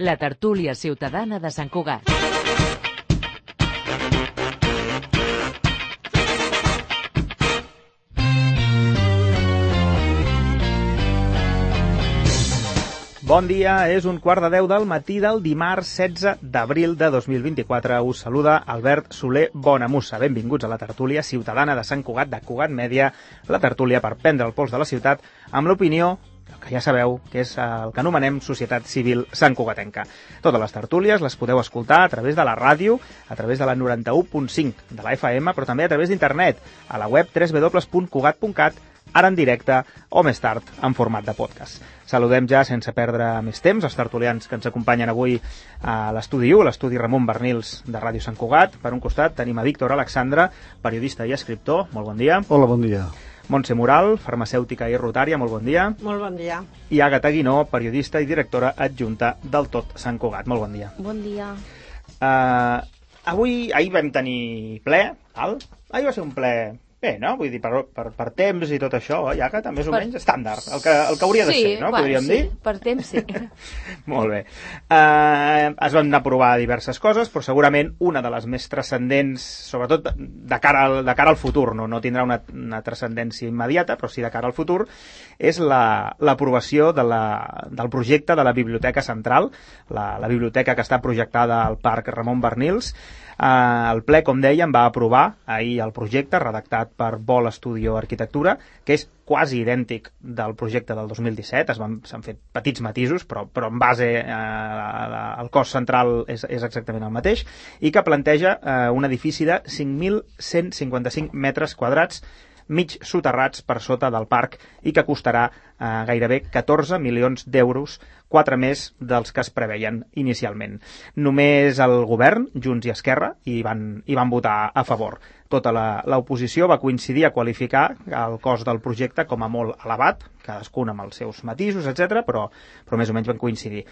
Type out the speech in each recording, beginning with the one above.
La tertúlia ciutadana de Sant Cugat. Bon dia, és 1:15 del matí del dimarts 16 d'abril de 2024. Us saluda Albert Soler Bonamussa. Benvinguts a la tertúlia ciutadana de Sant Cugat, de Cugat Mèdia, la tertúlia per prendre el pols de la ciutat amb l'opinió que ja sabeu que és el que anomenem Societat Civil Santcugatenca. Totes les tertúlies les podeu escoltar a través de la ràdio, a través de la 91.5 de la FM, però també a través d'internet, a la web www.cugat.cat, ara en directe o més tard en format de podcast. Saludem ja, sense perdre més temps, els tertulians que ens acompanyen avui a l'estudi 1, l'estudi Ramon Bernils de Ràdio Sant Cugat. Per un costat tenim a Víctor Alexandre, periodista i escriptor. Molt bon dia. Hola, bon dia. Montse Moral, farmacèutica i rotària. Molt bon dia. Molt bon dia. I Àgata Guinó, periodista i directora adjunta del Tot Sant Cugat. Molt bon dia. Bon dia. Ahir vam tenir ple, val? Ahir va ser un ple... Bé, no? Vull dir, per temps i tot això, ja que també és o menys estàndard, el que hauria de ser, no? Podríem dir? Sí, per temps sí. Molt bé. Es van aprovar diverses coses, però segurament una de les més transcendents, sobretot de cara al futur, no tindrà una transcendència immediata, però sí de cara al futur, és l'aprovació del projecte de la Biblioteca Central, la biblioteca que està projectada al Parc Ramon Bernils. El ple, com dèiem, va aprovar ahir el projecte redactat per Vol Estudio Arquitectura, que és quasi idèntic del projecte del 2017, s'han fet petits matisos, però en base al cos central és exactament el mateix, i que planteja un edifici de 5.155 metres quadrats, mig soterrats per sota del parc, i que costarà gairebé 14 milions d'euros, 4 més dels que es preveien inicialment. Només el govern, Junts i Esquerra, hi van votar a favor. Tota l'oposició va coincidir a qualificar el cost del projecte com a molt elevat, cadascun amb els seus matisos, etc., però més o menys van coincidir.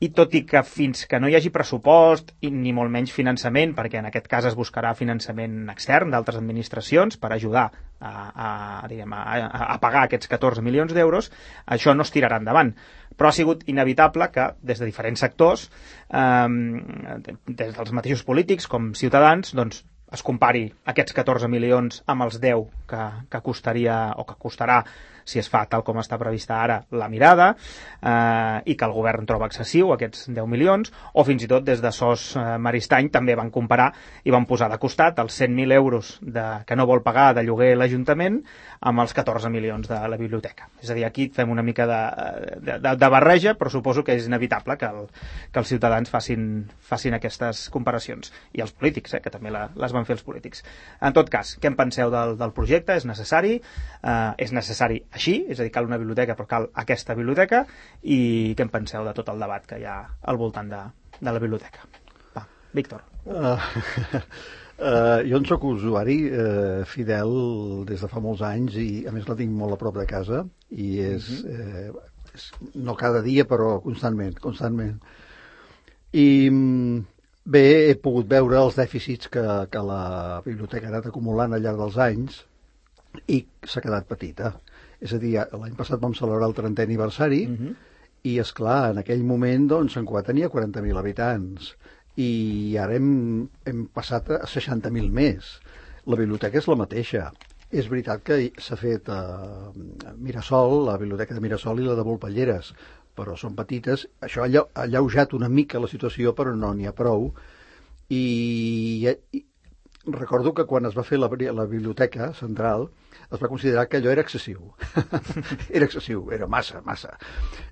I tot i que fins que no hi hagi pressupost i ni molt menys finançament, perquè en aquest cas es buscarà finançament extern d'altres administracions per ajudar a pagar aquests 14 milions d'euros, això no es tirarà endavant. Però ha sigut inevitable que des de diferents sectors, des dels mateixos polítics com ciutadans, doncs, es compari aquests 14 milions amb els 10 que costaria o que costarà si es fa tal com està prevista ara la mirada, i que el govern troba excessiu aquests 10 milions, o fins i tot des de SOS Maristany també van comparar i van posar de costat els 100.000 euros que no vol pagar de lloguer l'Ajuntament amb els 14 milions de la biblioteca. És a dir, aquí fem una mica de barreja, però suposo que és inevitable que els ciutadans facin aquestes comparacions. I els polítics, que també les van fer els polítics. En tot cas, què en penseu del projecte? És necessari? És necessari així? És a dir, cal una biblioteca, però cal aquesta biblioteca? I què en penseu de tot el debat que hi ha al voltant de la biblioteca? Va, Víctor. Jo en soc usuari fidel des de fa molts anys i a més la tinc molt a prop de casa i és no cada dia però constantment. I bé, he pogut veure els dèficits que la biblioteca ha anat acumulant al llarg dels anys i s'ha quedat petita. És a dir, l'any passat vam celebrar el 30è aniversari i, esclar, en aquell moment doncs, Sant Cugat tenia 40.000 habitants i ara hem passat a 60.000 més. La biblioteca és la mateixa. És veritat que s'ha fet a Mirasol, la biblioteca de Mirasol i la de Volpelleres, però són petites. Això ha alleujat una mica la situació, però no n'hi ha prou. I recordo que quan es va fer la biblioteca central es va considerar que allò era excessiu. Era excessiu, era massa.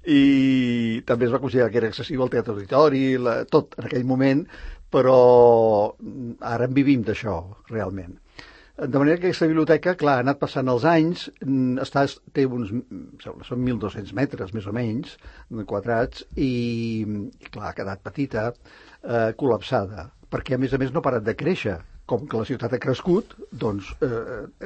I també es va considerar que era excessiu el Teatre Auditori, tot en aquell moment, però ara en vivim d'això, realment. De manera que aquesta biblioteca, clar, ha anat passant els anys, té són 1.200 metres, més o menys, quadrats, i clar, ha quedat petita, col·lapsada, perquè a més no ha parat de créixer. Com que la ciutat ha crescut, doncs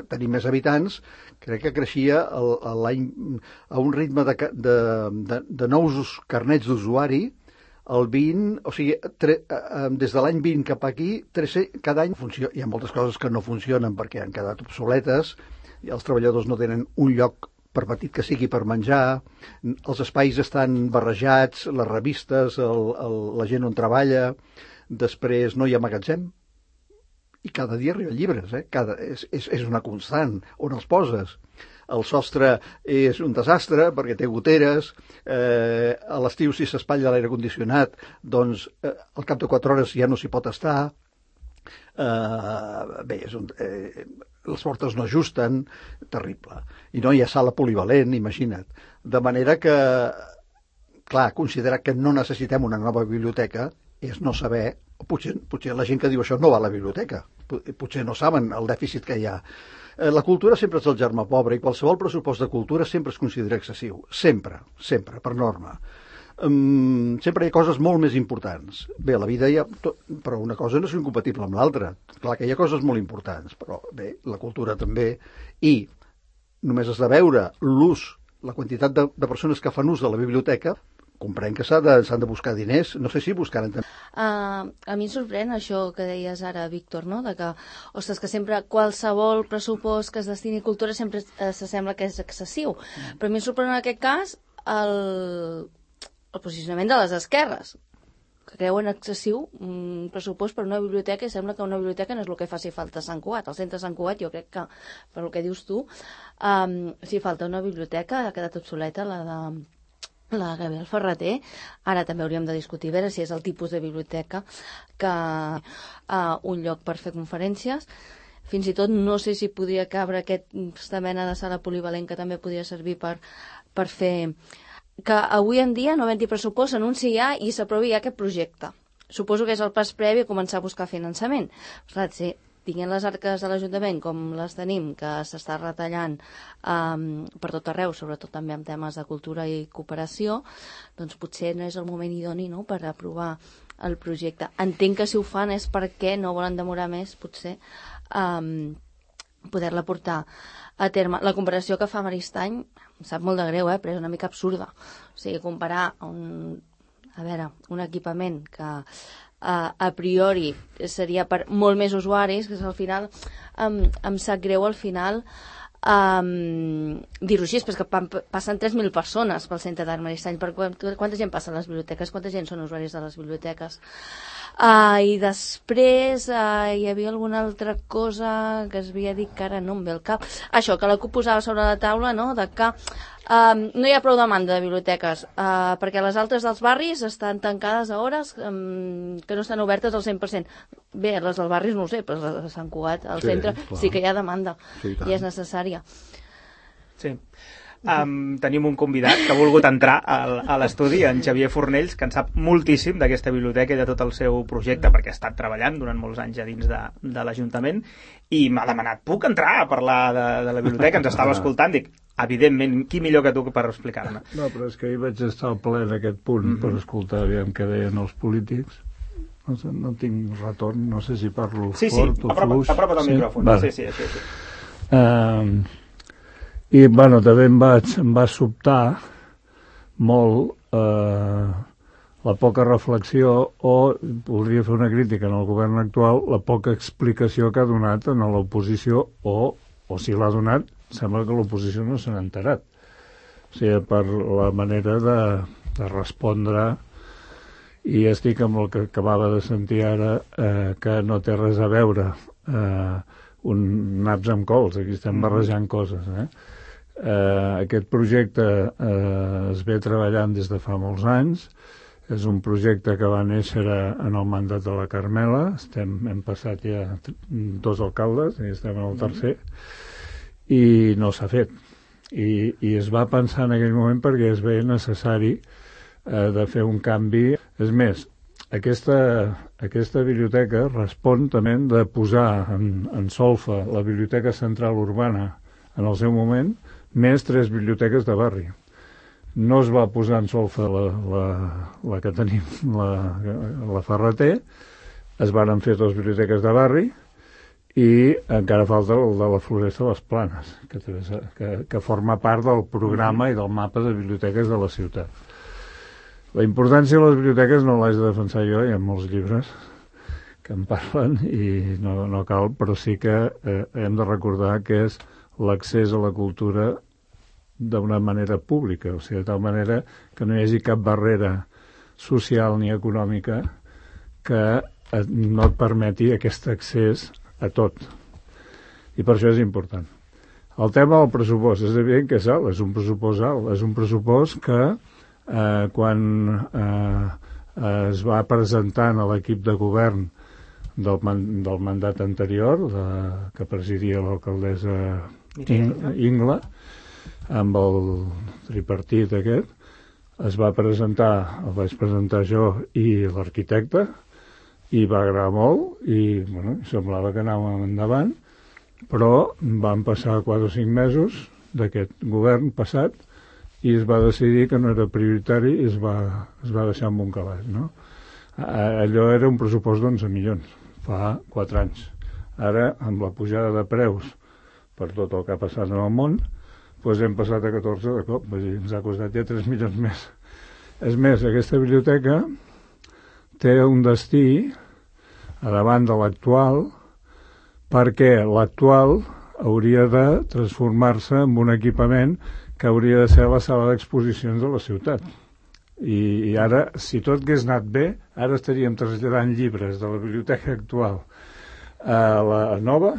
tenim més habitants, crec que creixia a un ritme de nous carnets d'usuari, el 20, o sigui, des de l'any 20 cap aquí, cada any hi ha moltes coses que no funcionen perquè han quedat obsoletes i els treballadors no tenen un lloc per petit que sigui per menjar, els espais estan barrejats, les revistes, la gent on treballa, després no hi ha magatzem, i cada dia arriben llibres, és una constant, on els poses. El sostre és un desastre perquè té goteres, a l'estiu si s'espatlla l'aire condicionat, doncs al cap de 4 hores ja no s'hi pot estar. Les portes no ajusten, terrible. I no hi ha sala polivalent, imagina't. De manera que, clar, considerar que no necessitem una nova biblioteca és no saber, potser la gent que diu això no va a la biblioteca, potser no saben el dèficit que hi ha. La cultura sempre és el germà pobre i qualsevol pressupost de cultura sempre es considera excessiu. Sempre, per norma. Sempre hi ha coses molt més importants. Bé, a la vida hi ha... Però una cosa no és incompatible amb l'altra. Clar que hi ha coses molt importants, però bé, la cultura també. I només has de veure l'ús, la quantitat de persones que fan ús de la biblioteca, comprenc que s'han de buscar diners. No sé si buscaran també. A mi em sorprèn això que deies ara, Víctor, no? De que, ostres, que sempre qualsevol pressupost que es destini a cultura sempre s'assembla que és excessiu. Però a mi em sorprèn en aquest cas el posicionament de les esquerres, que creuen excessiu un pressupost per una biblioteca i sembla que una biblioteca no és el que faci falta a Sant Cugat. Al centre de Sant Cugat jo crec que, per el que dius tu, si falta una biblioteca ha quedat obsoleta la de Gabriel Ferrater. Ara també hauríem de discutir veure si és el tipus de biblioteca que un lloc per fer conferències. Fins i tot no sé si podria cabre aquesta mena de sala polivalent que també podria servir per fer que avui en dia no havent-hi pressupost s'anunciï ja i s'aprovi ja aquest projecte. Suposo que és el pas previ a començar a buscar finançament. Clar, sí, tinguent les arques de l'Ajuntament com les tenim, que s'està retallant per tot arreu, sobretot també en temes de cultura i cooperació, doncs potser no és el moment idoni, no?, per aprovar el projecte. Entenc que si ho fan és perquè no volen demorar més, potser, poder-la portar a terme. La comparació que fa Maristany em sap molt de greu, però és una mica absurda. O sigui, comparar un equipament que a priori seria per molt més usuaris, que al final em sap greu al final dir-ho així, però és que passen 3.000 persones pel centre d'Art Maristany. Quanta gent passa a les biblioteques? Quanta gent són usuaris de les biblioteques? I després hi havia alguna altra cosa que es havia dit que ara no em ve al cap. Això, que la CUP posava sobre la taula, no?, de que no hi ha prou demanda de biblioteques perquè les altres dels barris estan tancades a hores que no estan obertes al 100%. Bé, les dels barris no ho sé, però les de Sant Cugat, al centre, clar, sí que hi ha demanda, sí, i és necessària. Sí. Tenim un convidat que ha volgut entrar a l'estudi, en Xavier Fornells, que en sap moltíssim d'aquesta biblioteca i de tot el seu projecte, perquè ha estat treballant durant molts anys a dins de l'Ajuntament, i m'ha demanat, puc entrar a parlar de la biblioteca? Ens estava escoltant, dic, evidentment, qui millor que tu per explicar-me? No, però és que ahir vaig estar al ple en aquest punt per escoltar aviam què deien els polítics. No sé, no tinc retorn, no sé si parlo fort o fluix. Apropa't al micròfon. Vale. Sí, així. I, bueno, també em va sobtar molt la poca reflexió o, podria fer una crítica en el govern actual, la poca explicació que ha donat en l'oposició o si l'ha donat, sembla que l'oposició no se n'ha enterat. O sigui, per la manera de respondre, i estic amb el que acabava de sentir ara, que no té res a veure naps amb cols, aquí estem barrejant coses, Aquest projecte es ve treballant des de fa molts anys. És un projecte que va néixer en el mandat de la Carmela. Hem passat ja 2 alcaldes i estem en el tercer, i no s'ha fet. I es va pensar en aquell moment perquè es veia necessari de fer un canvi. És més, aquesta biblioteca respon també de posar en solfa la Biblioteca Central Urbana en el seu moment, més 3 biblioteques de barri. No es va posar en solfa la que tenim, la Ferrater, es varen fer 2 biblioteques de barri i encara falta el de la Floresta de les Planes, que forma part del programa i del mapa de biblioteques de la ciutat. La importància de les biblioteques no l'haig de defensar jo, hi ha molts llibres que en parlen i no cal, però sí que hem de recordar que és l'accés a la cultura d'una manera pública, o sigui, de tal manera que no hi hagi cap barrera social ni econòmica que no et permeti aquest accés a tot. I per això és important. El tema del pressupost, és evident que és alt, és un pressupost alt, és un pressupost que quan es va presentant a l'equip de govern del mandat anterior, que presidia l'alcaldessa Ingla, amb el tripartit aquest, es va presentar, el vaig presentar jo i l'arquitecte, i va agradar molt, i bueno, semblava que anàvem endavant, però van passar 4 o 5 mesos d'aquest govern passat i es va decidir que no era prioritari i es va deixar amb un calaix, no? Allò era un pressupost d'11 milions, fa 4 anys. Ara, amb la pujada de preus per tot el que ha passat en el món, doncs hem passat a 14 de cop, ens ha costat ja 3 milions més. És més, aquesta biblioteca té un destí a davant de l'actual, perquè l'actual hauria de transformar-se en un equipament que hauria de ser la sala d'exposicions de la ciutat. I ara, si tot hagués anat bé, ara estaríem traslladant llibres de la biblioteca actual a la nova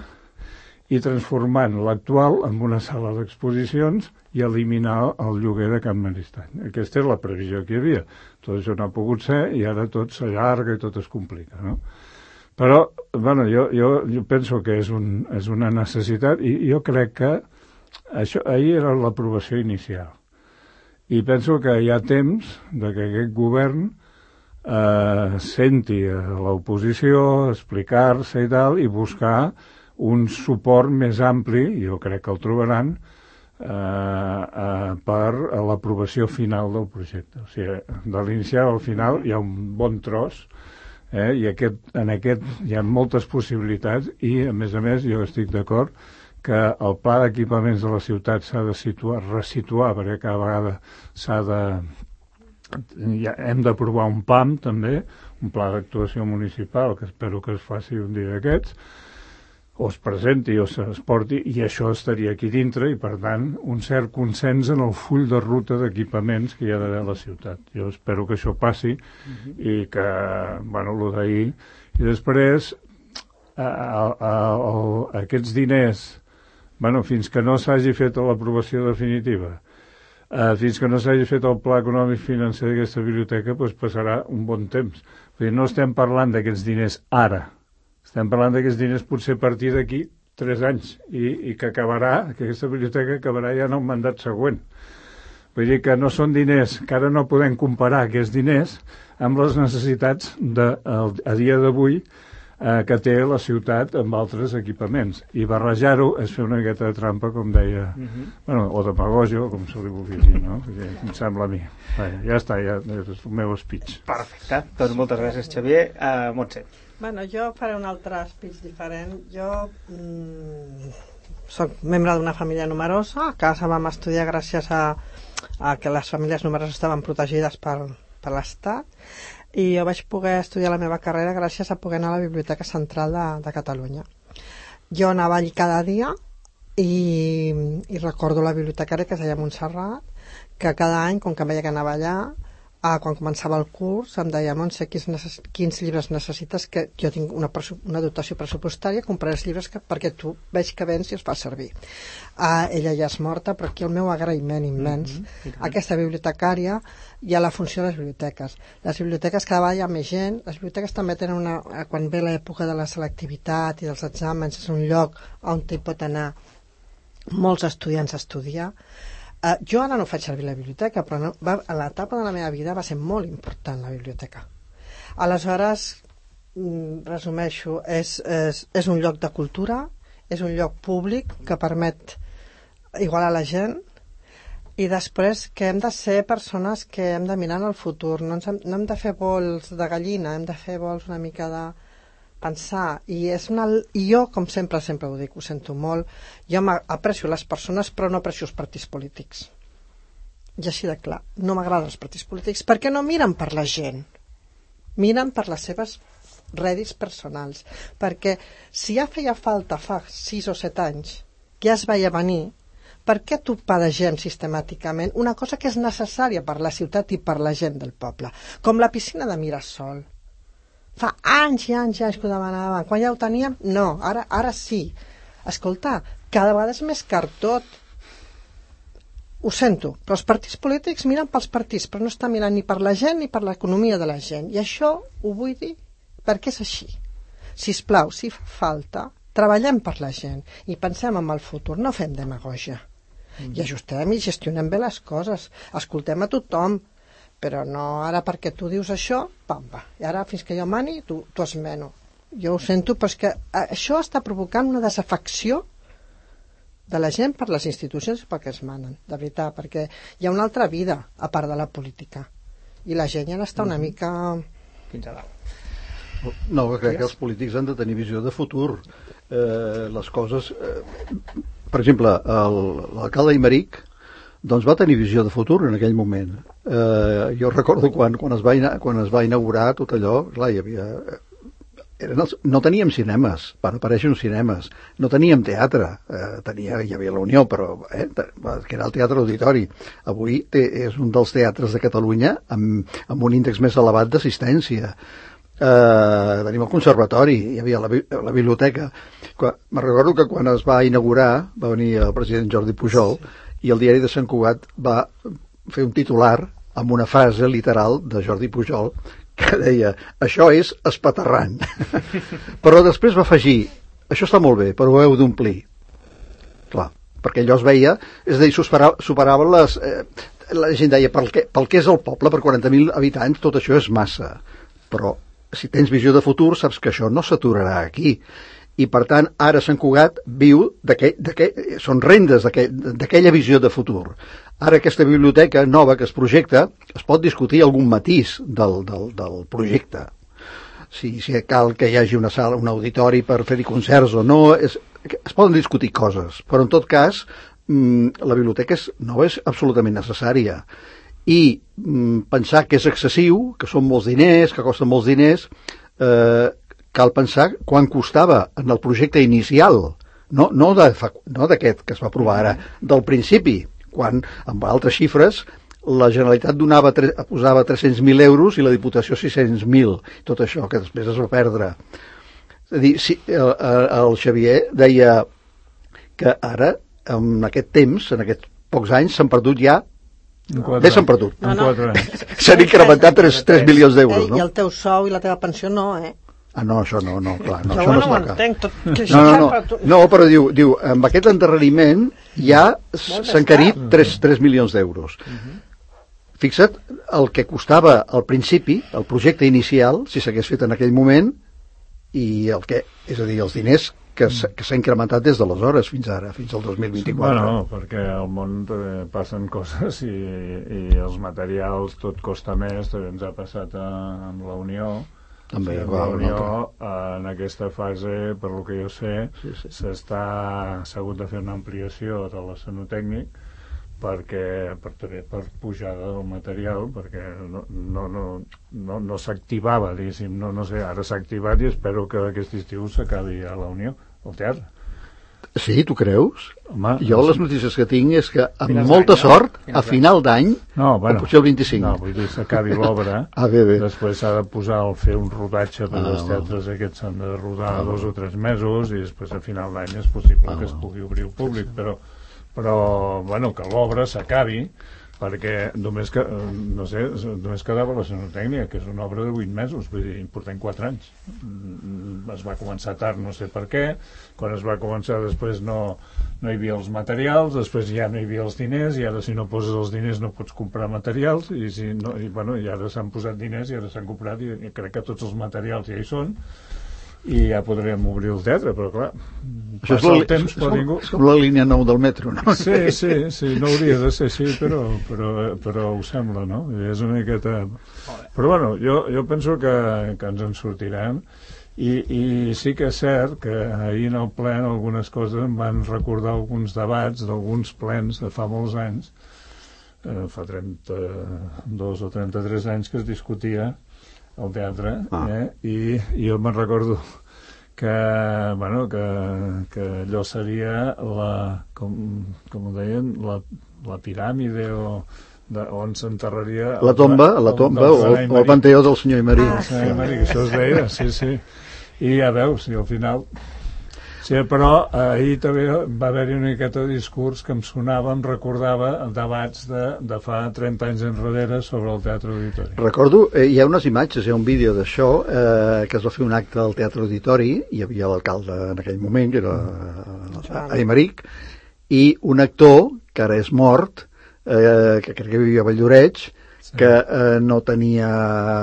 i transformant l'actual en una sala d'exposicions i eliminar el lloguer de Can Maristany. Aquesta és la previsió que hi havia. Tot això no ha pogut ser i ara tot s'allarga i tot es complica, no? Però, bueno, jo penso que és una necessitat i jo crec que això ahir era l'aprovació inicial. I penso que hi ha temps de que aquest govern senti a l'oposició, explicar-se i tal, i buscar un suport més ampli, jo crec que el trobaran, per a l'aprovació final del projecte. O sigui, de l'inicial al final hi ha un bon tros, i en aquest hi ha moltes possibilitats i, a més, jo estic d'acord que el pla d'equipaments de la ciutat s'ha de resituar, perquè cada vegada hem d'aprovar un PAM també, un pla d'actuació municipal, que espero que es faci un dia d'aquests, o es presenti o es porti, i això estaria aquí dintre, i per tant un cert consens en el full de ruta d'equipaments que hi ha d'haver a la ciutat. Jo espero que això passi i que, bueno, el d'ahir, i després aquests diners, bueno, fins que no s'hagi fet l'aprovació definitiva, fins que no s'hagi fet el pla econòmic financer d'aquesta biblioteca, doncs passarà un bon temps. Vull dir, no estem parlant d'aquests diners ara, estem parlant d'aquests diners potser a partir d'aquí 3 anys i que aquesta biblioteca acabarà ja en el mandat següent. Vull dir que no són diners, que ara no podem comparar aquests diners amb les necessitats a dia d'avui que té la ciutat amb altres equipaments. I barrejar-ho és fer una miqueta de trampa, com deia, bueno, o demagògia, com se li vulgui dir, no? Em sembla a mi. Ja està, ja és el meu speech. Perfecte. Doncs moltes gràcies, Xavier. Montse. Bueno, jo faré un altre speech diferent. Jo soc membre d'una família numerosa. A casa vam estudiar gràcies a que les famílies numeroses estaven protegides per l'Estat, i jo vaig poder estudiar la meva carrera gràcies a poder anar a la Biblioteca Central de Catalunya. Jo anava allí cada dia i recordo la bibliotecària, que es deia Montserrat, que cada any, com que em veia que anava allà, quan començava el curs em deia: Montse, quins llibres necessites, que jo tinc una dotació pressupostària, compraré els llibres perquè tu veig que vens i els fa servir. Ella ja és morta, però aquí el meu agraïment immens a aquesta bibliotecària i a la funció de les biblioteques. Les biblioteques cada vegada hi ha més gent, les biblioteques també tenen quan ve l'època de la selectivitat i dels exàmens, és un lloc on hi pot anar molts estudiants a estudiar. Jo ara no faig servir la biblioteca, però a l'etapa de la meva vida va ser molt important la biblioteca. Aleshores, resumeixo, és un lloc de cultura, és un lloc públic que permet igualar la gent, i després que hem de ser persones que hem de mirar en el futur, no hem de fer vols de gallina, hem de fer vols una mica de pensar, i jo, com sempre ho dic, ho sento molt, jo aprecio les persones però no aprecio els partits polítics, i així de clar, no m'agraden els partits polítics perquè no miren per la gent, miren per les seves rèdits personals, perquè si ja feia falta fa 6 o 7 anys que ja es veia venir, per què topar de gent sistemàticament una cosa que és necessària per la ciutat i per la gent del poble? Com la piscina de Mirasol. Fa anys i anys que ho demanaven. Quan ja ho teníem? No, ara sí. Escolta, cada vegada és més car tot. Ho sento, però els partits polítics miren pels partits, però no estan mirant ni per la gent ni per l'economia de la gent. I això ho vull dir perquè és així. Sisplau, si fa falta, treballem per la gent i pensem en el futur, no fem demagògia. I ajustem i gestionem bé les coses, escoltem a tothom, però no ara perquè tu dius això, pamba, i ara fins que jo mani t'ho esmeno. Jo ho sento, però és que això està provocant una desafecció de la gent per les institucions i pel que es manen, de veritat, perquè hi ha una altra vida a part de la política i la gent ja n'està una mica... Fins a dalt. No, crec que els polítics han de tenir visió de futur. Les coses... Per exemple, l'alcalde Aymeric doncs va tenir visió de futur en aquell moment. Jo recordo quan es va inaugurar tot allò, clar, hi havia... no teníem cinemes, van aparèixer uns cinemes, no teníem teatre, hi havia la Unió, però que era el Teatre Auditori. Avui és un dels teatres de Catalunya amb un índex més elevat d'assistència. Tenim el conservatori, hi havia la biblioteca. Me recordo que quan es va inaugurar va venir el president Jordi Pujol i el diari de Sant Cugat va fer un titular amb una frase literal de Jordi Pujol que deia, això és espaterrant. Però després va afegir, això està molt bé, però ho heu d'omplir. Clar, perquè allò es veia, és a dir, superava les... la gent deia, pel que és el poble, per 40.000 habitants, tot això és massa. Però si tens visió de futur, saps que això no s'aturarà aquí. I, per tant, ara Sant Cugat viu són rendes d'aquella visió de futur. Ara aquesta biblioteca nova que es projecta, es pot discutir algun matís del projecte. Si cal que hi hagi una sala, un auditori per fer-hi concerts o no, es poden discutir coses, però en tot cas la biblioteca nova és absolutament necessària. I pensar que és excessiu, que són molts diners, que costen molts diners, cal pensar quan costava en el projecte inicial, no d'aquest que es va aprovar ara, del principi, quan amb altres xifres la Generalitat posava 300.000 euros i la Diputació 600.000, tot això que després es va perdre. És a dir, el Xavier deia que ara, en aquest temps, en aquests pocs anys, s'han perdut ja bé s'han perdut. S'han incrementat 3 milions d'euros, no? I el teu sou i la teva pensió no, no, això no, clar. No, això no ho entenc. No, però diu, amb aquest endarreriment ja s'han encarit 3 milions d'euros. Fixa't el que costava al principi, el projecte inicial, si s'hagués fet en aquell moment, i és a dir, els diners que s'ha incrementat des d'aleshores fins ara, fins al 2024. Bueno, perquè al món passen coses i els materials tot costa més, també ens ha passat amb la Unió. També, la Unió, en aquesta fase, per lo que jo sé, s'ha hagut de fer una ampliació de l'escenotècnic per pujada del material, perquè no s'activava, diguéssim, no sé, ara s'ha activat i espero que aquest estiu s'acabi a la Unió, al teatre. Sí, tu creus? Home, jo les notícies que tinc és que amb molta sort, a final d'any, o potser el 25. No, vull dir, s'acabi l'obra, bé. Després s'ha de fer un rodatge per als teatres aquests s'han de rodar 2 o 3 mesos i després a final d'any és possible que es pugui obrir al públic, però bueno, que l'obra s'acabi, perquè només quedava l'escenotècnia, que és una obra de 8 mesos, vull dir, portem 4 anys. Es va començar tard, no sé per què, quan es va començar després no hi havia els materials, després ja no hi havia els diners, i ara si no poses els diners no pots comprar materials, i ara s'han posat diners i ara s'han comprat, i crec que tots els materials ja hi són, i ja podrem obrir el teatre, però clar, passa el temps per ningú. És com la línia 9 del metro, no? Sí, no hauria de ser així, però ho sembla, no? És una miqueta... Però bueno, jo penso que ens en sortirem, i sí que és cert que ahir en el ple algunes coses em van recordar alguns debats d'alguns plens de fa molts anys, fa 32 o 33 anys que es discutia al teatre, i jo me'n recordo bueno, que allò seria com ho deien, la piràmide on s'enterraria la tomba o el panteó del senyor Aymerich. Senyor Aymerich, això es deia, sí. I ja veus, i al final... Sí, però ahir també va haver-hi una miqueta de discurs que em sonava, em recordava debats de fa 30 anys enrere sobre el Teatre Auditori. Recordo, hi ha unes imatges, hi ha un vídeo d'això, que es va fer un acte al Teatre Auditori, hi havia l'alcalde en aquell moment, que era Aymerich, i un actor, que ara és mort, que crec que vivia a Valldoreix, que no tenia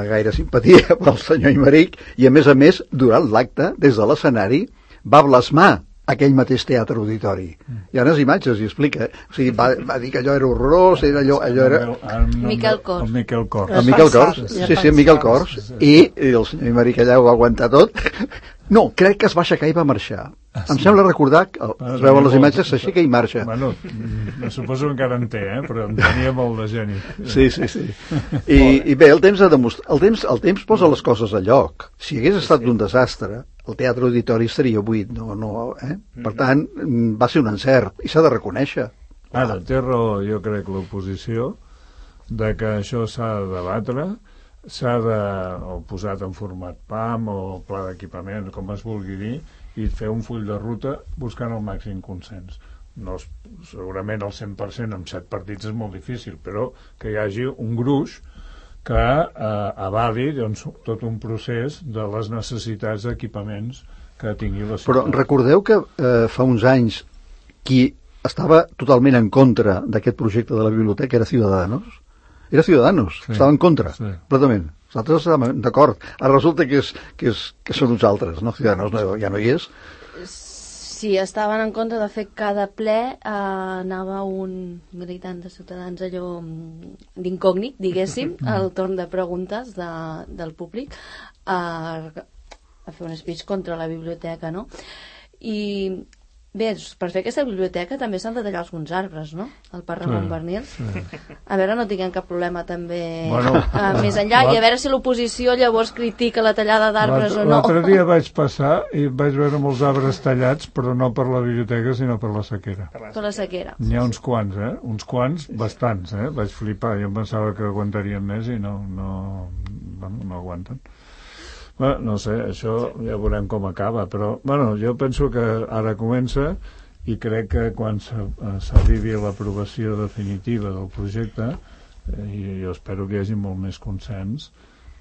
gaire simpatia pel senyor Aymerich, i a més, durant l'acte, des de l'escenari, va blasmar aquell mateix Teatre Auditori. Hi ha unes imatges i explica. O sigui, va dir que allò era horrorós, allò era... Miquel Cors. El Miquel Cors. El Miquel Cors, sí, el Miquel Cors. I el senyor Aymerich allà ho va aguantar tot. No, crec que es va aixecar i va marxar. Em sembla recordar que es veuen les imatges, s'aixeca i marxa. Bueno, suposo que encara en té, però en tenia molt de geni. Sí. I bé, el temps posa les coses a lloc. Si hagués estat un desastre, el Teatre Auditori estaria buit, Per tant, va ser un encert i s'ha de reconèixer. Ara, té raó, jo crec, l'oposició de que això s'ha de debatre, s'ha de posat en format PAM o pla d'equipament, com es vulgui dir, i fer un full de ruta buscant el màxim consens. No, segurament el 100% amb 7 partits és molt difícil, però que hi hagi un gruix que avali tot un procés de les necessitats d'equipaments que tingui la ciutat. Però recordeu que fa uns anys qui estava totalment en contra d'aquest projecte de la biblioteca era Ciudadanos? Era Ciudadanos, sí, estava en contra, completament. Nosaltres estàvem d'acord. Ara resulta que són uns altres, no? Ciudadanos ja no hi és. Sí, estaven en contra. De fet, cada ple anava un militant de Ciutadans allò d'incògnit, diguéssim, al torn de preguntes del públic a fer un speech contra la biblioteca, no? I bé, per fer aquesta biblioteca també s'han de tallar alguns arbres, no? Al Parc Ramon Barnils. A veure, no tinguem cap problema també més enllà, i a veure si l'oposició llavors critica la tallada d'arbres o no. L'altre dia vaig passar i vaig veure molts arbres tallats, però no per la biblioteca, sinó per la sequera. Per la sequera. N'hi ha uns quants, uns quants, bastants, vaig flipar. Jo em pensava que aguantarien més i no aguanten. No sé, això ja veurem com acaba, però jo penso que ara comença i crec que quan s'arribi a l'aprovació definitiva del projecte, i jo espero que hi hagi molt més consens,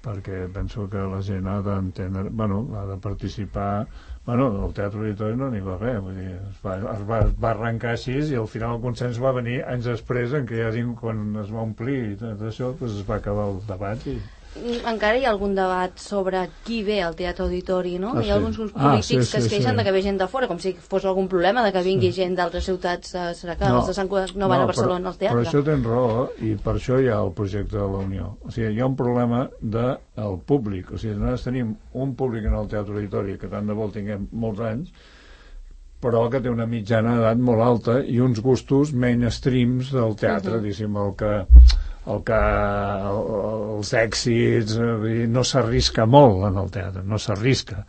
perquè penso que la gent ha d'entendre, ha de participar. El Teatre Auditori no n'hi va res, vull dir, es va arrencar així i al final el consens va venir anys després, en què quan es va omplir i tot això, es va acabar el debat i... Encara hi ha algun debat sobre qui ve al Teatre Auditori, no? Hi ha alguns grups polítics que es queixen de que ve gent de fora, com si fos algun problema de que vingui gent d'altres ciutats. Serà que els de Sant Cugat no van a Barcelona al teatre? Però això tens raó, i per això hi ha el projecte de la Unió. O sigui, hi ha un problema del públic. O sigui, nosaltres tenim un públic en el Teatre Auditori que tant de bo tinguem molts anys, però que té una mitjana d'edat molt alta i uns gustos mainstreams del teatre, diguéssim, els èxits, no s'arrisca molt en el teatre, no s'arrisca,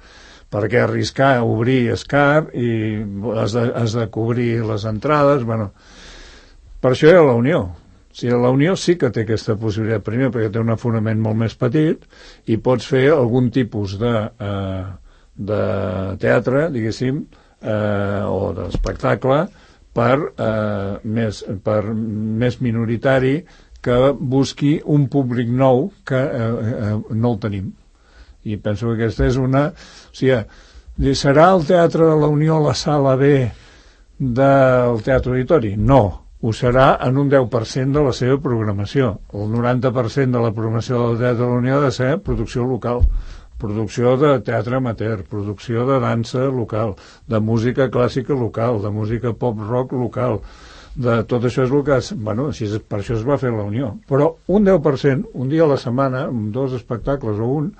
perquè arriscar, obrir és car i has de cobrir les entrades, per això hi ha la Unió. La Unió sí que té aquesta possibilitat, primer perquè té un afonament molt més petit i pots fer algun tipus de teatre, diguéssim, o d'espectacle per més minoritari, que busqui un públic nou que no el tenim. I penso que aquesta és una... O sigui, serà el Teatre de la Unió la sala B del Teatre Auditori? No, ho serà en un 10% de la seva programació. El 90% de la programació del Teatre de la Unió ha de ser producció local, producció de teatre amateur, producció de dansa local, de música clàssica local, de música pop-rock local, de tot això és el que... per això es va fer la Unió. Però un 10%, un dia a la setmana, amb 2 espectacles o un,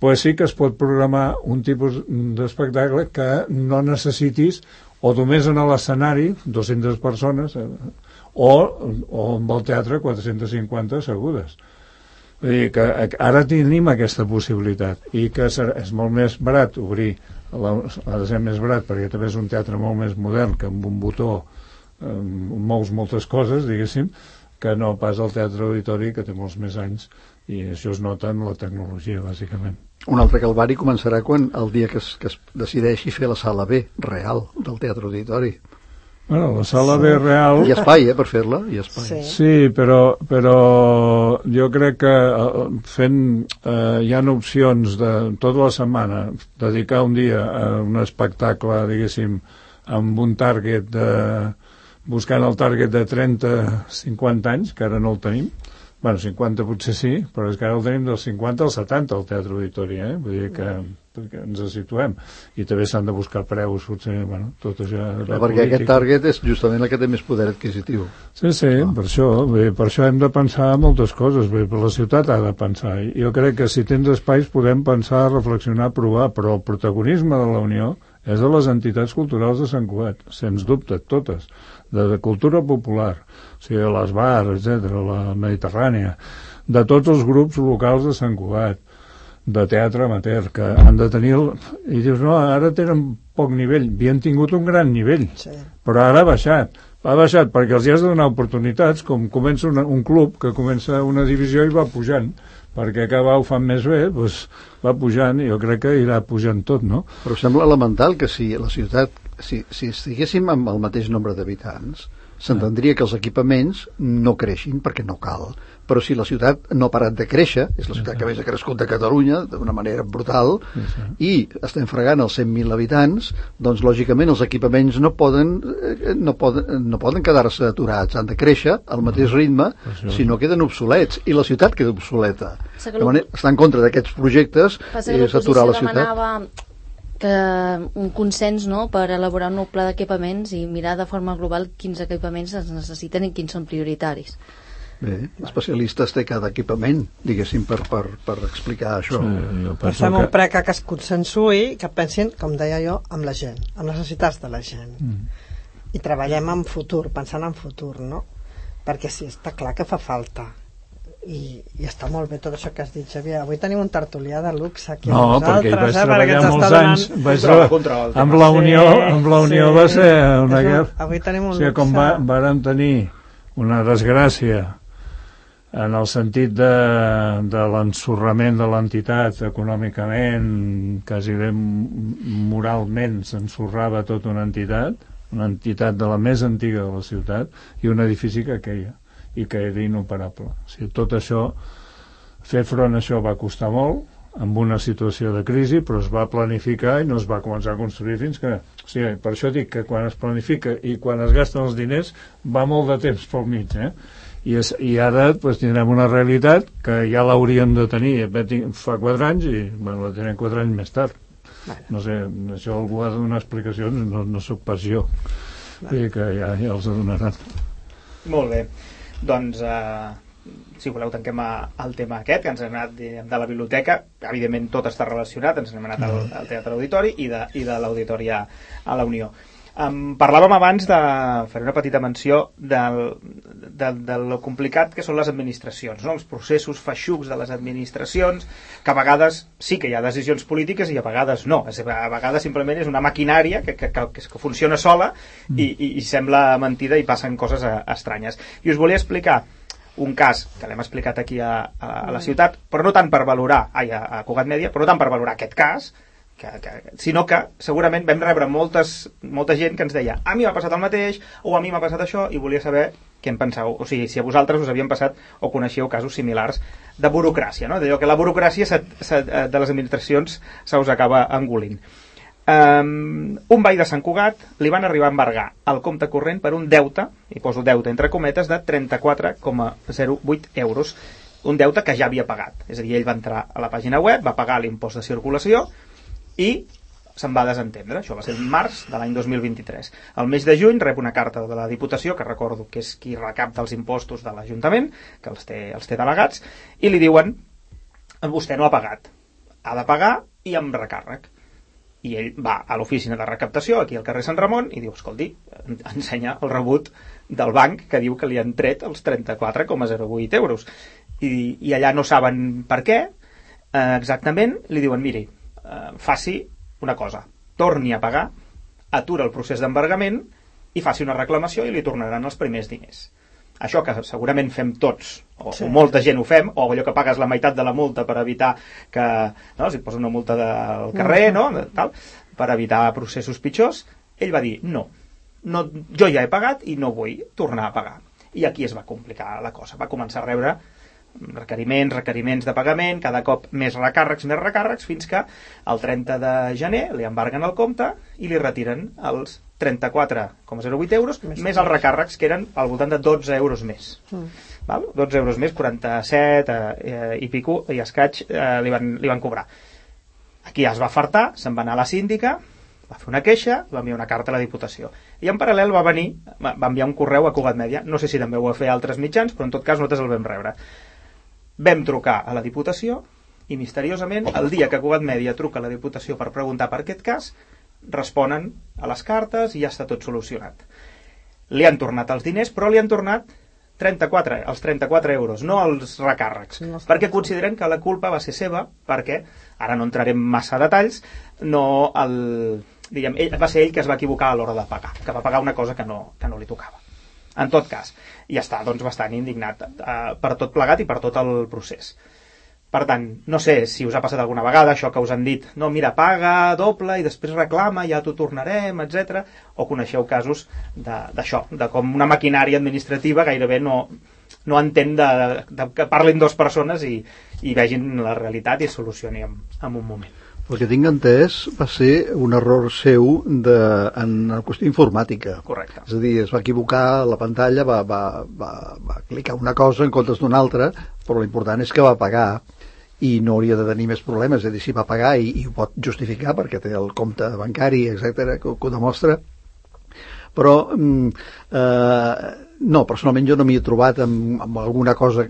pues sí que es pot programar un tipus d'espectacle que no necessitis o només en l'escenari 200 persones o amb el teatre 450 assegudes. Vull dir que ara tenim aquesta possibilitat i que és molt més barat obrir, ha de ser més barat perquè també és un teatre molt més modern que amb un botó mous moltes coses, diguéssim, que no pas el teatre auditori que té molts més anys, i això es nota en la tecnologia, bàsicament. Un altre calvari començarà quan el dia que es decideixi fer la sala B real del teatre auditori. Bueno, la sala B real... Hi ha espai, per fer-la, hi ha espai. Sí, però jo crec que hi ha opcions de tota la setmana dedicar un dia a un espectacle, diguéssim, amb un target buscant el target de 30-50 anys, que ara no el tenim. Bueno, 50 potser sí, però és que ara el tenim dels 50 als 70 al Teatre Auditori, Vull dir que ens situem. I també s'han de buscar preus, potser, bueno, tot això... Perquè aquest target és justament el que té més poder adquisitiu. Sí, per això hem de pensar moltes coses, per la ciutat ha de pensar. I jo crec que si tens espais podem pensar, reflexionar, provar, però el protagonisme de la Unió és de les entitats culturals de Sant Cugat, sens dubte, totes, de cultura popular, o sigui, les bars, etc., la Mediterrània, de tots els grups locals de Sant Cugat, de teatre amateur, que han de tenir... I dius, no, ara tenen poc nivell, havien tingut un gran nivell, però ara ha baixat perquè els hi has de donar oportunitats, com comença un club que comença una divisió i va pujant, perquè cada ho fan més bé, doncs va pujant, i jo crec que irà pujant tot, no? Però sembla elemental que si la ciutat, si estiguéssim amb el mateix nombre d'habitants, s'entendria que els equipaments no creixin perquè no cal, però si la ciutat no ha parat de créixer, és la ciutat que més ha crescut de Catalunya d'una manera brutal, i estem fregant els 100.000 habitants, doncs lògicament els equipaments no poden quedar-se aturats, han de créixer al mateix ritme, si no queden obsolets, i la ciutat queda obsoleta. Estar en contra d'aquests projectes és aturar la ciutat. Que un consens, no?, per elaborar un nou pla d'equipaments i mirar de forma global quins equipaments es necessiten i quins són prioritaris. Bé, especialistes té cada equipament, diguéssim, per explicar això. Fem un prec que es consensui, que pensin, com deia jo, amb la gent, amb les necessitats de la gent. I treballem en futur, pensant en futur, no? Perquè sí, està clar que fa falta. I està molt bé tot això que has dit, Xavier. Avui tenim un tertulià de luxe aquí amb nosaltres, perquè treballar molts anys amb la Unió va ser una guerra. Avui tenim un luxe. Com vàrem tenir una desgràcia en el sentit de l'ensorrament de l'entitat econòmicament, quasi bé moralment s'ensorrava tota una entitat de la més antiga de la ciutat, i un edifici que queia i que era inoperable. O sigui, tot això, fer front a això va costar molt, amb una situació de crisi, però es va planificar i no es va començar a construir fins que... O sigui, per això dic que quan es planifica i quan es gasten els diners va molt de temps pel mig, I ara doncs, tindrem una realitat que ja l'hauríem de tenir fa 4 anys i la tenen 4 anys més tard. No sé, això algú ha de donar explicacions, no soc pas jo. Que ja els donaran. Molt bé. Doncs, si voleu, tanquem el tema aquest, que ens hem anat de la biblioteca. Evidentment tot està relacionat, ens hem anat al Teatre Auditori i de l'Auditori a la Unió. Parlàvem abans faré una petita menció del complicat que són les administracions, no? Els processos feixucs de les administracions, que a vegades sí que hi ha decisions polítiques i a vegades no. A vegades simplement és una maquinària que funciona sola i sembla mentida i passen coses estranyes. I us volia explicar un cas que l'hem explicat aquí a la ciutat, però no tant per valorar, a Cugat Mèdia, però no tant per valorar aquest cas, sinó que segurament vam rebre molta gent que ens deia a mi m'ha passat el mateix, o a mi m'ha passat això, i volia saber què en penseu, o sigui, si a vosaltres us havien passat o coneixeu casos similars de burocràcia, no? D'allò que la burocràcia de les administracions se us acaba engolint. Un veí de Sant Cugat li van arribar a embargar el compte corrent per un deute, i poso deute entre cometes, de 34,08 euros, un deute que ja havia pagat. És a dir, ell va entrar a la pàgina web, va pagar l'impost de circulació i se'n va desentendre. Això va ser en març de l'any 2023. Al mes de juny rep una carta de la Diputació, que recordo que és qui recapta els impostos de l'Ajuntament, que els té delegats, i li diuen: vostè no ha pagat, ha de pagar i amb recàrrec. I ell va a l'oficina de recaptació, aquí al carrer Sant Ramon, i diu, escolti, ensenya el rebut del banc que diu que li han tret els 34,08 euros. I allà no saben per què, exactament, li diuen, miri, faci una cosa, torni a pagar, atura el procés d'embargament i faci una reclamació i li tornaran els primers diners. Això que segurament fem tots, o molta gent ho fem, o allò que pagues la meitat de la multa per evitar que, no, si et posa una multa del carrer, no, tal, per evitar processos pitjors, ell va dir, no, jo ja he pagat i no vull tornar a pagar. I aquí es va complicar la cosa, va començar a rebre requeriments de pagament, cada cop més recàrrecs, fins que el 30 de gener li embarguen el compte i li retiren els 34,08 euros, més els recàrrecs, que eren al voltant de 12 euros més. Val? 12 euros més, 47 i pico, i escaig li van cobrar. Aquí es va fartar, se'n va anar a la síndica, va fer una queixa, va enviar una carta a la Diputació. I en paral·lel va enviar un correu a Cugat Mèdia, no sé si també ho va fer altres mitjans, però en tot cas nosaltres el vam rebre. Vam trucar a la Diputació i misteriosament, el dia que Cugat Mèdia truca a la Diputació per preguntar per aquest cas, responen a les cartes i ja està tot solucionat. Li han tornat els diners, però li han tornat els 34 euros, no els recàrrecs, perquè consideren que la culpa va ser seva, perquè, ara no entrarem massa detalls, va ser ell que es va equivocar a l'hora de pagar, que va pagar una cosa que no li tocava. En tot cas, i està doncs bastant indignat per tot plegat i per tot el procés. Per tant, no sé si us ha passat alguna vegada això que us han dit, no, mira, paga doble i després reclama, ja t'ho tornarem, etc. O coneixeu casos d'això, de com una maquinària administrativa gairebé no entén que parlin dues persones i vegin la realitat i es solucioni en un moment. El que tinc entès va ser un error seu en la qüestió informàtica. Correcte. És a dir, es va equivocar a la pantalla, va clicar una cosa en comptes d'una altra, però l'important és que va pagar i no hauria de tenir més problemes. És a dir, si va pagar i ho pot justificar perquè té el compte bancari, etc, que ho demostra. Però no, personalment jo no m'hi he trobat amb alguna cosa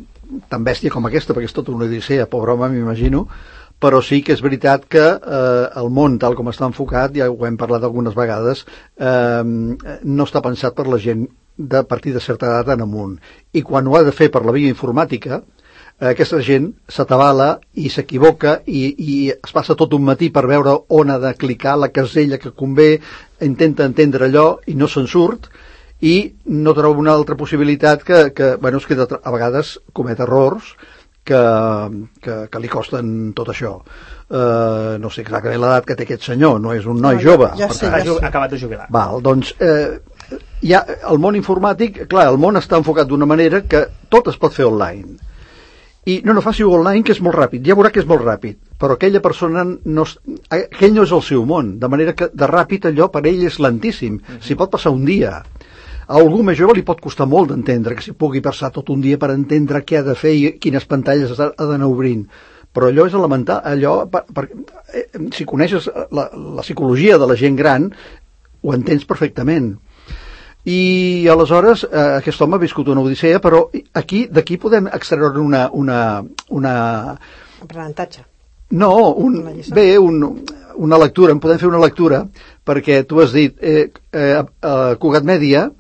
tan bèstia com aquesta, perquè és tota una odissea, pobre home, m'imagino. Però sí que és veritat que el món, tal com està enfocat, ja ho hem parlat algunes vegades, no està pensat per la gent de partir de certa edat en amunt. I quan ho ha de fer per la via informàtica, aquesta gent s'atabala i s'equivoca i es passa tot un matí per veure on ha de clicar la casella que convé, intenta entendre allò i no se'n surt, i no troba una altra possibilitat que bueno, és que a vegades comet errors que li costen tot això. No sé exactament l'edat que té aquest senyor, no és un noi jove. Ja sé. Ha acabat de jubilar. Val, doncs, ja, el món informàtic, clar, el món està enfocat d'una manera que tot es pot fer online. I no faci-ho online, que és molt ràpid, ja veurà que és molt ràpid, però aquella persona, aquell no és el seu món, de manera que de ràpid allò per ell és lentíssim, s'hi pot passar un dia. A algú més jove li pot costar molt d'entendre, que s'hi pugui passar tot un dia per entendre què ha de fer i quines pantalles ha d'anar obrint. Però allò és elemental, si coneixes la psicologia de la gent gran, ho entens perfectament. I aleshores aquest home ha viscut una odissea, però d'aquí podem extreure una aprenentatge. No, una lectura, en podem fer una lectura, perquè tu has dit, Cugat Mèdia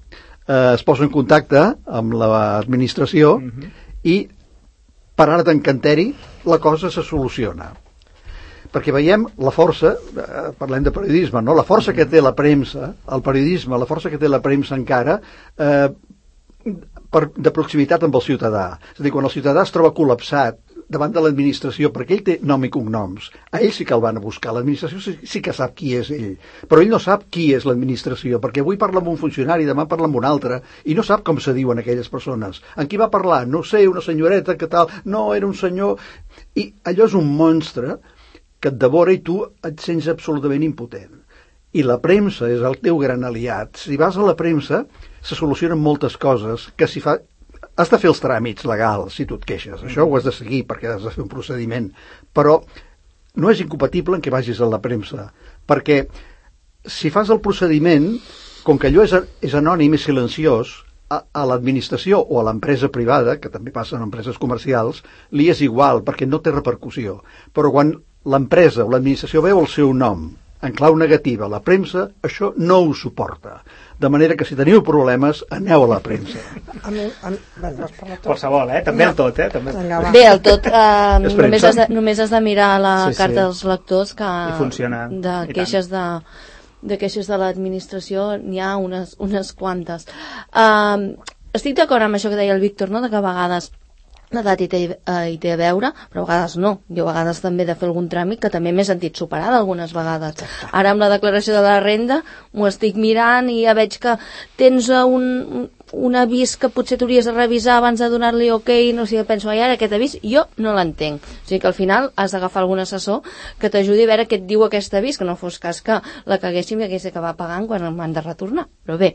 es posa en contacte amb l'administració i per art d'encanteri la cosa se soluciona. Perquè veiem la força, parlem de periodisme, no? La força que té la premsa, el periodisme, la força que té la premsa encara de proximitat amb el ciutadà. És a dir, quan el ciutadà es troba col·lapsat davant de l'administració, perquè ell té nom i cognoms, a ell sí que el van a buscar, l'administració sí que sap qui és ell, però ell no sap qui és l'administració, perquè avui parla amb un funcionari, demà parla amb un altre, i no sap com se diuen aquelles persones. En qui va parlar? No sé, una senyoreta, que tal? No, era un senyor... I allò és un monstre que et devora i tu et sents absolutament impotent. I la premsa és el teu gran aliat. Si vas a la premsa, se solucionen moltes coses que si fa... Has de fer els tràmits legals, si tu et queixes. Això ho has de seguir, perquè has de fer un procediment. Però no és incompatible en què vagis a la premsa. Perquè si fas el procediment, com que allò és anònim i silenciós, a l'administració o a l'empresa privada, que també passa en empreses comercials, li és igual, perquè no té repercussió. Però quan l'empresa o l'administració veu el seu nom en clau negativa. La premsa això no ho suporta. De manera que si teniu problemes, aneu a la premsa. Bueno, vas parlar tot. Qualsevol, també el tot, També... Vinga, va. Bé, el tot, només has de mirar la Sí, sí. carta dels lectors que I funciona. de I queixes de queixes de l'administració n'hi ha unes quantes. Estic d'acord amb això que deia el Víctor, no? De que a vegades l'edat hi té a veure, però a vegades no. Jo a vegades també he de fer algun tràmit que també m'he sentit superada algunes vegades. Ara amb la declaració de la renda m'ho estic mirant i ja veig que tens un avís que potser t'hauries de revisar abans de donar-li ok, no sé, penso, ai, ara aquest avís jo no l'entenc. O sigui que al final has d'agafar algun assessor que t'ajudi a veure què et diu aquest avís, que no fos cas que la caguéssim i hagués d'acabar pagant quan m'han de retornar. Però bé,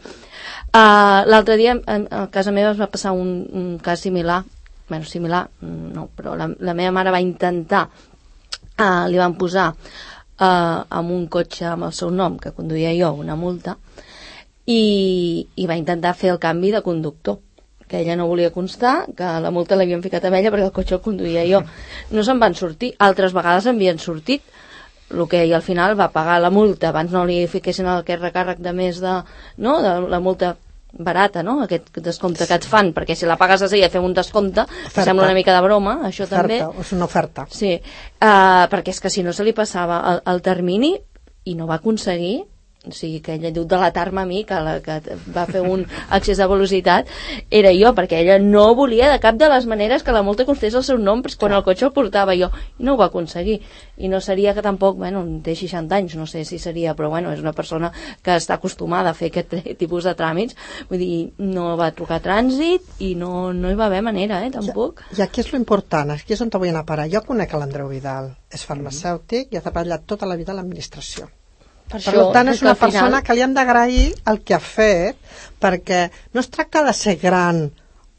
l'altre dia a casa meva es va passar un cas similar, bueno, similar, no, però la meva mare va intentar, li van posar amb un cotxe amb el seu nom, que conduïa jo, una multa, i va intentar fer el canvi de conductor, que ella no volia constar, que la multa l'havien ficat amb ella perquè el cotxe el conduïa jo. No se'n van sortir, altres vegades havien sortit, el que ell al final va pagar la multa, abans no li fiquessin aquest recàrrec de més de la multa barata, no? Aquest descompte que et fan, perquè si la pagues a seguida fem un descompte, que sembla una mica de broma, això oferta, també. És una oferta. Sí, perquè és que si no se li passava el termini i no va aconseguir, o sigui que ella diu delatar-me a mi, que va fer un excés de velocitat era jo, perquè ella no volia de cap de les maneres que la multa constés el seu nom quan el cotxe el portava jo, i no ho va aconseguir, i no seria que tampoc, bueno, té 60 anys, no sé si seria, però bueno, és una persona que està acostumada a fer aquest tipus de tràmits, vull dir, no va trucar trànsit i no hi va haver manera, tampoc. I aquí és lo important, aquí és on te vull anar a parar. Jo conec l'Andreu Vidal, és farmacèutic i ha treballat tota la vida a l'administració. Per tant, és una persona que li han d'agrair el que ha fet, perquè no es tracta de ser gran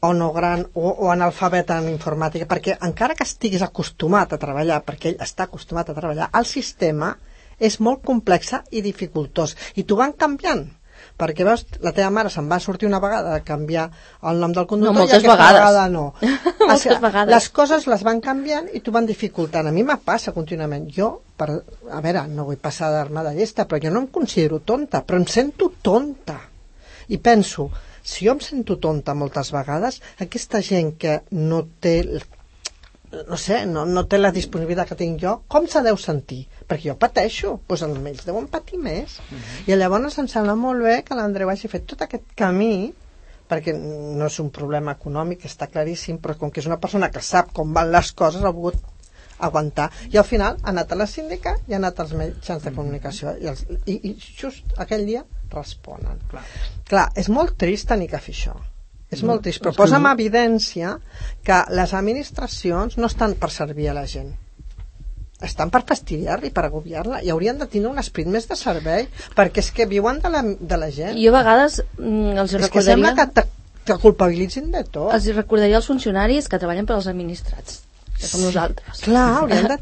o no gran o analfabet en informàtica, perquè encara que estiguis acostumat a treballar, perquè ell està acostumat a treballar, el sistema és molt complex i dificultós, i t'ho van canviant. Perquè veus, la teva mare se'n va sortir una vegada de canviar el nom del conductor, no, moltes i aquesta vegades. vegada no. Moltes vegades. Les coses les van canviant i t'ho van dificultant. A mi me passa contínuament. Jo, a veure, no vull passar d'arma de llesta, però jo no em considero tonta, però em sento tonta. I penso, si jo em sento tonta moltes vegades, aquesta gent que no té, no sé, no té la disponibilitat que tinc jo, com se deu sentir? Perquè jo pateixo, doncs ells deuen patir més. I llavors em sembla molt bé que l'Andreu hagi fet tot aquest camí, perquè no és un problema econòmic, està claríssim, però com que és una persona que sap com van les coses, ha volgut aguantar. I al final ha anat a la síndica i ha anat als mitjans de comunicació. I just aquell dia responen. Clar, és molt trist tenir que fer això. És molt trist, però posa en evidència que les administracions no estan per servir a la gent. Estan per fastidiar-la i per agobiar-la, i haurien de tenir un esperit més de servei, perquè és que viuen de la gent. Jo a vegades els recordaria... És que sembla que culpabilitzin de tot. Els recordaria als funcionaris que treballen per als administrats, que som nosaltres. Clar, haurien de...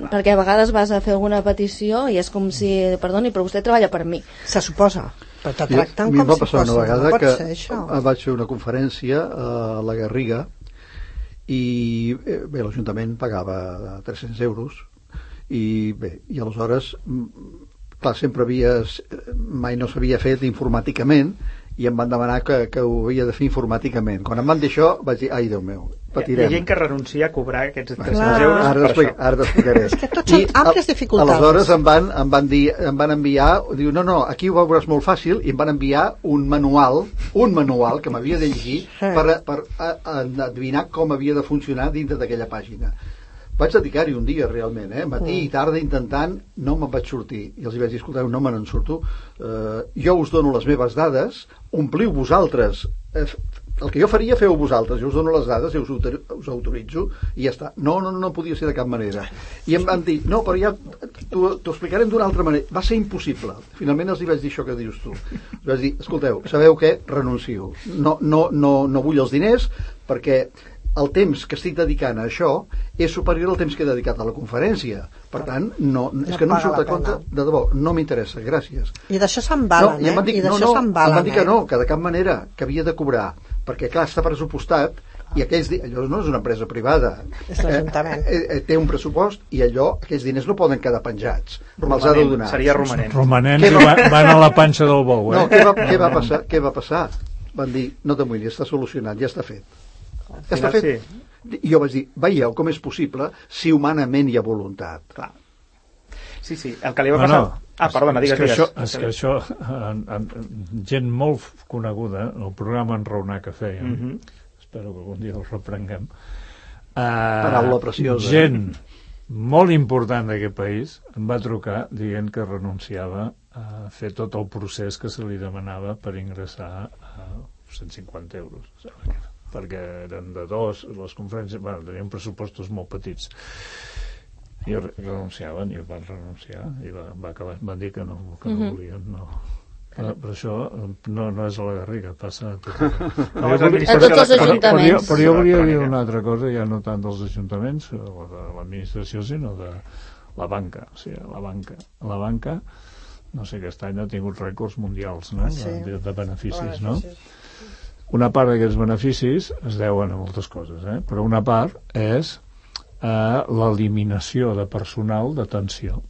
perquè a vegades vas a fer alguna petició i és com si, perdoni, però vostè treballa per mi. Se suposa, però te tracten com si fos. A mi em va passar una vegada que vaig fer una conferència a la Garriga i bé, l'Ajuntament pagava 300 euros i bé, i aleshores clar, mai no s'havia fet informàticament i em van demanar que ho havia de fer informàticament. Quan em van dir això vaig dir, ai Déu meu, patirem. Hi ha gent que renuncia a cobrar aquests 300 euros per això. Ara t'explicaré. És que tots són àmplies dificultats. Aleshores em van enviar, diu, no, aquí ho veuràs molt fàcil, i em van enviar un manual que m'havia de llegir per adivinar com havia de funcionar dintre d'aquella pàgina. Vaig dedicar-hi un dia realment, matí i tarda intentant, no me'n vaig sortir, i els vaig dir, escolteu, no me n'en surto, jo us dono les meves dades, ompliu vosaltres, el que jo faria feu vosaltres, jo us dono les dades i us autoritzo i ja està. No podia ser de cap manera. I em van dir, no, però ja t'ho explicarem d'una altra manera. Va ser impossible. Finalment els vaig dir això que dius tu. Els vaig dir, escolteu, sabeu què? Renuncio. No vull els diners perquè el temps que estic dedicant a això és superior al temps que he dedicat a la conferència. Per tant, és que no em surt a compte, de debò, no m'interessa, gràcies. I d'això s'embalen, I d'això s'embalen. Em van dir que no, que de cap manera, que havia de cobrar, perquè clar, està pressupostat I allò no és una empresa privada. És l'Ajuntament. Té un pressupost i aquells diners no poden quedar penjats. Me'ls ha de donar. Seria romanent. Romanents i van a la panxa del bou, No, què va passar? Van dir, no t'amoïnis, està solucionat, ja està fet. Ja està fet. I jo vaig dir, veieu com és possible si humanament hi ha voluntat. Clar. Sí, el que li va passar... perdona, digues. És que això, gent molt coneguda, el programa Enraonar que fèiem, espero que algun dia el reprenguem, paraula preciosa. Gent molt important d'aquest país em va trucar dient que renunciava a fer tot el procés que se li demanava per ingressar a 150 euros, perquè eren de dos, les conferències, tenien pressupostos molt petits. I renunciaven, i van renunciar, i van dir que no volien, no. Però això no és a la Garriga, passa a tots els ajuntaments. Però jo volia dir una altra cosa, ja no tant dels ajuntaments o de l'administració, sinó de la banca. O sigui, la banca, no sé, aquest any ha tingut rècords mundials, no? De beneficis, no? Una part d'aquests beneficis es deuen a moltes coses, però una part és l'eliminació de personal d'atenció.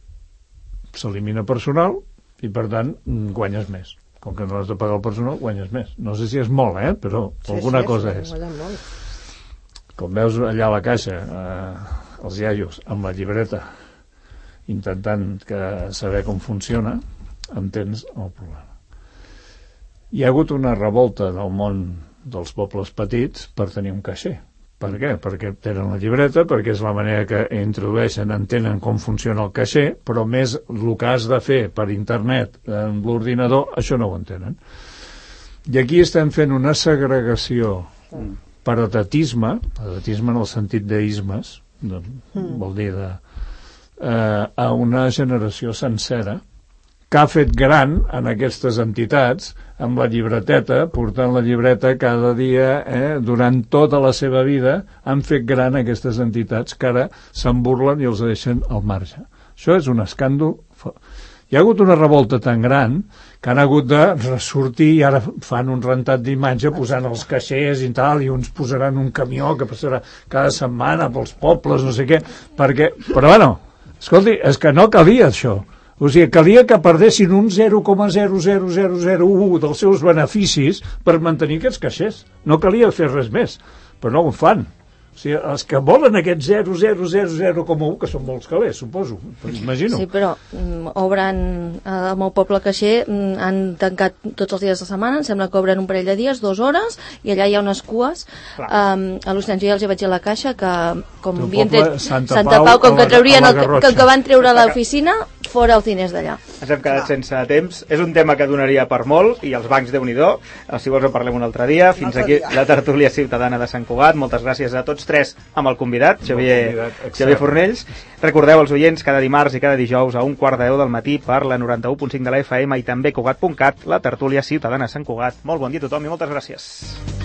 S'elimina personal i, per tant, guanyes més. Com que no has de pagar el personal, guanyes més. No sé si és molt, però alguna cosa és. Com veus allà a la caixa, els iaios amb la llibreta intentant saber com funciona, entens el problema. Hi ha hagut una revolta del món dels pobles petits per tenir un caixer. Per què? Perquè tenen la llibreta, perquè és la manera que introdueixen, entenen com funciona el caixer, però més el que has de fer per internet amb l'ordinador, això no ho entenen. I aquí estem fent una segregació per edatisme en el sentit d'ismes, vol dir a una generació sencera que ha fet gran en aquestes entitats amb la llibreteta, portant la llibreta cada dia, durant tota la seva vida han fet gran aquestes entitats que ara se'n burlen i els deixen al marge. Això és un escàndol. Hi ha hagut una revolta tan gran que han hagut de ressortir i ara fan un rentat d'imatge posant els caixers i tal, i uns posaran un camió que passarà cada setmana pels pobles, no sé què, perquè... Però bueno, escolti, és que no calia això. O sigui, calia que perdessin un 0,00001 dels seus beneficis per mantenir aquests caixers. No calia fer res més, però no ho fan. O sigui, els que volen aquest 0,000,1, que són molts calés, suposo, imagino. Sí, però obren, al meu poble caixer, han tancat tots els dies de setmana, em sembla que obren un parell de dies, 2 hores, i allà hi ha unes cues. A l'Oceans ja els hi vaig dir a la caixa que, com havien tret Santa Pau, com que traurien que van treure l'oficina, fora els diners d'allà. Ens hem quedat sense temps. És un tema que donaria per molt, i els bancs, Déu-n'hi-do. Si vols en parlem un altre dia. Fins aquí la tertúlia ciutadana de Sant Cugat. Moltes gràcies a tots tres amb el convidat, Xavier Fornells. Recordeu als oients, cada dimarts i cada dijous a 1:15 del matí per la 91.5 de la FM i també Cugat.cat, la tertúlia ciutadana de Sant Cugat. Molt bon dia a tothom i moltes gràcies.